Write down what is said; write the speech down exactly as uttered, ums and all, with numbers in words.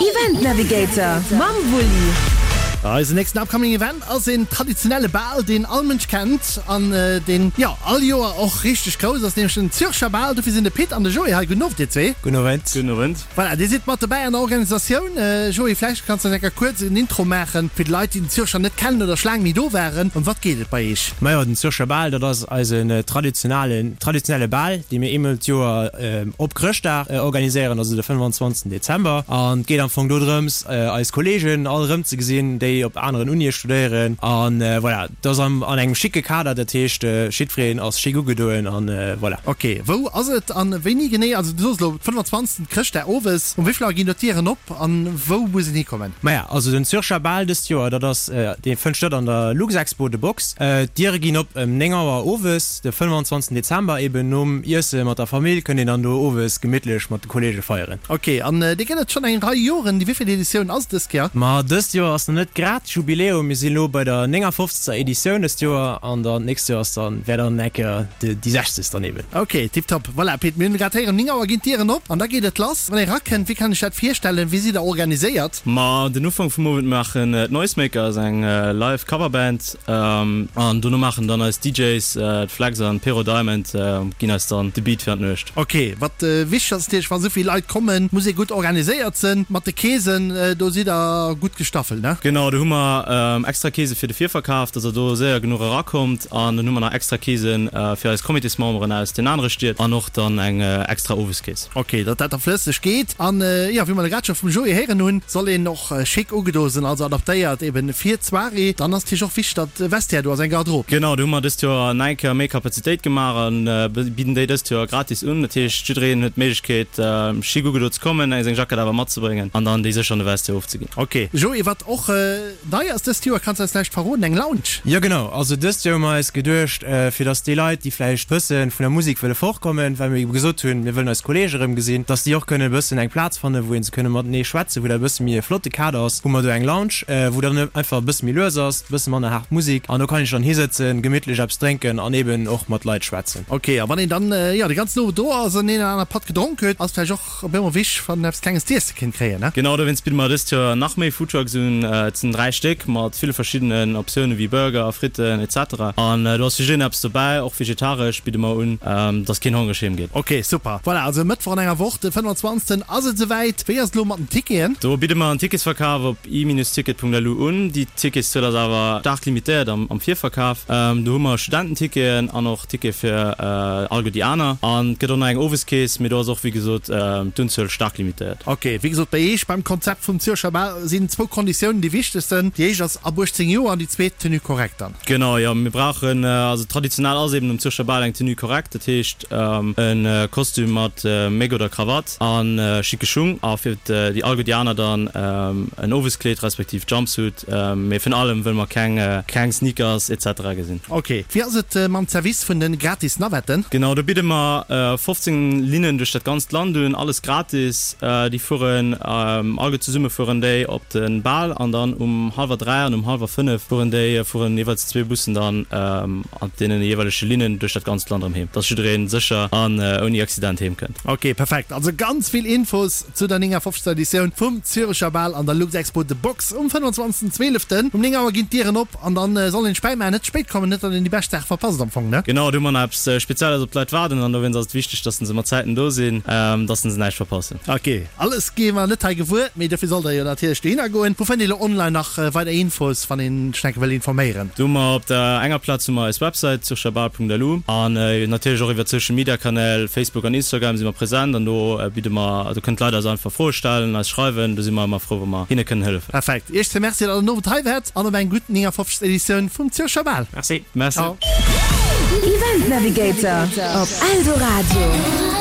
Event Navigator mam Wulli. Eisen nächsten upcoming Event ass een traditionelle Bal, deen all Mënsch kennt an deen, jo, all Joer och richteg grouss ass, nämlech den Zürcher Bal. Dofir sinn de Pit an de Joé hei. Gudden Owend, dir zwee. Gudden Owend. Gudden Owend. Voilà, dir sidd mat dobäi an der Organisatioun. Joé, vläicht kanns de eis eng Kéier kuerz en Intro maachen, fir d'Leit, déi den Zürcher net kennen oder scho laang méi do waren. Ëm wat geet et bei iech? Majo, den Zürcher Bal, dat ass eisen traditionalen, traditionelle Bal, dee mir eemol d'Joer op Chrëschtdag organiséieren, also de fënnefanzwanzegsten Dezember. An et geet am Fong dodrëms, eis Kolleegen all erëmzegesinn, déi op aneren Unie studéieren. An voilà, dat ass am, an engem schicke Kader, dat heescht, jiddwereen ass schick ugedoen an voilà. Ok, wou ass et an wéini genee? Also du soos elo fënnefanzwanzegsten, Chrëschtdag owes. Um wéi vill Auer ginn do d'Dieren op an wou muss een hikommen? Maja, also den Zürcher Bal dëst Joer, dat ass, dee fënnt statt an der Luxexpo, The Box. D'Diere ginn op ëm néng Auer owes, de fënnefanzwanzegsten Dezember, eben nom Iesse mat der Famill kënnt een dann do owes gemittlech mat de Kolleege feieren. Ok, an dee gëtt et schonn eng Rei Joren. Déi wéivill Editioun ass et dëst Joer? Ma dëst Joer ass nach net grad Jubiläum, mir sinn elo bei der néngafofzegster Editioun dëst Joer an dann d'nächst Joer ass dann, wär dann eng Kéier déi sechzegst dann eben. Ok, tiptop. Voilà, Pit, mir hunn grad héieren, néng Auer ginn d'Dieren op an da geet et lass. Wann ee rakënnt, wéi kann ech dat virstellen? Wéi sidd der organiséiert? Ma den Ufank vum Owend maachen d'Noisemakers, eng live Coverband, an dono maachen dann eis DJs, d'Flex an d'Pero Diamond, ginn eis dann de Beat fir an d'Nuecht. Ok, wat wichteg ass natierlech, wa souvill Leit kommen, muss ee gutt organiséiert sinn mat de Keesen. Do sidd der gutt gestaffelt, ne? Genau, do hu mer extra Keese fir de Virverkaf, dass der do séier genuch erakommt. An dann hu mer nach extra Keese fir eis Comitésmemberen aus den anere Stied an och dann eng extra Oweskees. Ok, datt dat da flësseg geet. An jo, wéi mer grad scho vum Joé héieren hunn, soll een och schick ugedo sinn, also adaptéiert eben fir d'Soirée. Dann ass natierlech och wichteg, datt e Vestiaire do ass, eng Garderobe. Genau, do hu mer dëst Joer nach eng Kéier méi Kapazitéit gemaach a bidden déi dëst Joer gratis un. Dat heescht, jiddereen huet d'Méiglechkeet, schick ugedo ze kommen, seng Jackett awer matzebréngen an dann déi sécher an de Vestiaire ofzeginn. Ok. Joé, wat och nei ass dëst Joer, kanns de eis vläicht verroden, eng Lounge? Jo genau, also dëst Joer hu mer eis geduecht, fir dass déi Leit, déi vläicht bëssen vun der Musek wëlle fortkommen, well mir ebe gesot hunn, mir wëllen eis Kollege erëm gesinn, dass déi och kënnen e bëssen eng Plaz fannen, wou een se kënne matenee schwätzen, wou dat e bësse méi e flotte Kader ass, hu mer do eng Lounge, wou dann einfach e bësse méi lues ass, e bësse manner haart Musek an do kann een sech dann hisëtzen, gemittlech eppes drénken an eben och mat Leit schwätzen. Ok, a wann een dann, jo, de ganzen Owend do ass an een oder aner Patt gedronk huet, ass vläicht och op eemol wichteg, wann een eppes Klenges z'iesse kéint kréien, ne? Genau, dowéinst bidde mer dëst Joer nach méi Foodtrucks un. Et sinn dräi Stéck mat ville verschiddenen Optioune wéi Burger, Fritten et cetera. An do ass fir jiddereen eppes dobäi, och vegetaresch bidde mer un, dass keen hongreg heem geet. Ok, super. Voilà, also e Mëttwoch an enger Woch, de fënnefanzwanzegsten ass et esouwäit. Wéi ass et elo mat den Ticketen? Do bidde mer en Ticketsverkaf op i-ticket Punkt L U un. Déi Ticketszuel ass awer staark limitéiert am Virverkaf. Do hu mer Studententicketen an och Tickete fir alleguer déi aner. An et gëtt och nach eng Oweskeess, mee do ass och wéi gesot d'Unzuel staark limitéiert. Ok, wéi gesot, bei Iech beim Konzept vum Zürcher Bal sinn zwou Konditiounen déi wichtegsten. Déi éischt ass ab uechtzéng Joer an déi zweet Tenue correcte dann. Genau, jo, mir brauchen, also traditionell ass eben um Zürcher Bal eng Tenue correcte, dat heescht e Kostüm mat Méck oder Krawatt a schicke Schung a fir déi alleguer déi aner dann en Oweskleed respektiv Jumpsuit, mee virun allem wëlle mer keng keng Sneakers et cetera gesinn. Ok, wéi ass et mam Zerwiss vun de gratis Navetten? Genau, do bidde mer fofzéng Linnen duerch dat ganzt Land un, alles gratis. Déi fueren alleguer zesumme fueren déi op de Bal an dann um hallwer dräi an um hallwer fënnef fueren déi fueren jeeweils zwee Bussen dann an deene jeeweilege Linnen duerch dat ganzt Land erëm heem, dass jidderee sécher an ouni Accident heem kënnt. Ok, perfekt. Also ganz vill Infos zu der néngafofzegster Editioun vum Zürecher Bal an der Luxexpo The Box um fënnfanzwanzegsten Zwieleften. Um néng Auer ginn d'Dieren op an dann soll een spéit maachen, net spéit kommen, net datt een déi bescht Saach verpasst am Fong, ne? Genau, do hu mer nach eppes Spezielles op d'Leit waarden an dowéinst ass et wichteg, dass se mat Zäiten do sinn, dass se näischt verpassen. Ok, alles gi mer net hei gewuer, mee dofir sollt der jo natierlech dohinner goen. Wou fënnt ee lo online nach weider Infos, wann een sech enke wëll informéieren? Do hu mer op der enger Plaz hu mer eis Websäit zürcherbal Punkt L U an natierlech och iwwer d'Social Media Kanäl, Facebook an Instagram si mer present an do bidde mer, do kënnen d'Leit eis einfach Froe stellen, eis schreiwen, do si mer ëmmer frou wa mer hinne kënnen hëllefen. Perfekt. Iech zwee Merci, datt der den Owend hei waart an op eng gutt néngafofzegst Editioun vum Zürcher Bal. Merci. Merci. Ciao. Event Navigator op Eldoradio.